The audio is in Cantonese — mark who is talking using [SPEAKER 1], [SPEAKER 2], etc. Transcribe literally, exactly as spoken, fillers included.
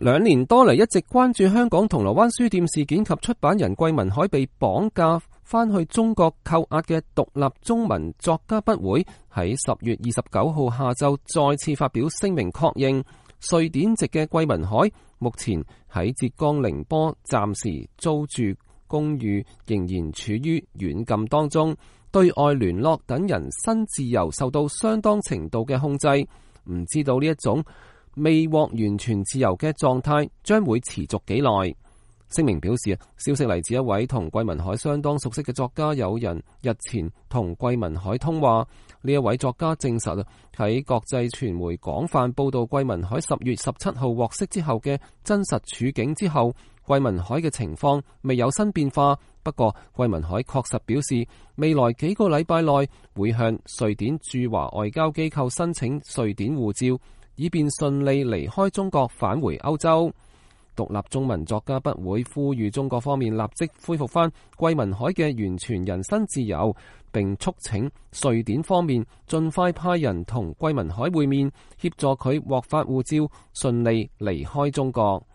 [SPEAKER 1] 兩年多嚟一直關注香港銅鑼灣書店事件及出版人桂民海被綁架返去中國扣押嘅獨立中文作家筆會喺十月二十九號下晝再次發表聲明，確認瑞典籍嘅桂民海目前喺浙江寧波暫時租住公寓，仍然處於軟禁當中，對外聯絡等人身自由受到相當程度嘅控制。唔知道呢一種未獲完全自由嘅狀態將會持續幾耐。聲明表示，消息嚟自一位同桂民海相當熟悉嘅作家友人，日前同桂民海通話。呢一位作家證實喺國際傳媒廣泛報道桂民海十月十七號獲釋之後嘅真實處境之後，桂民海嘅情況未有新變化。不過桂民海確實表示，未來幾個禮拜內會向瑞典駐華外交機構申請瑞典護照，以便順利離開中國返回歐洲。獨立中文作家筆會呼籲中國方面立即恢復翻桂民海嘅完全人身自由，並促請瑞典方面盡快派人同桂民海會面，協助佢獲發護照，順利離開中國。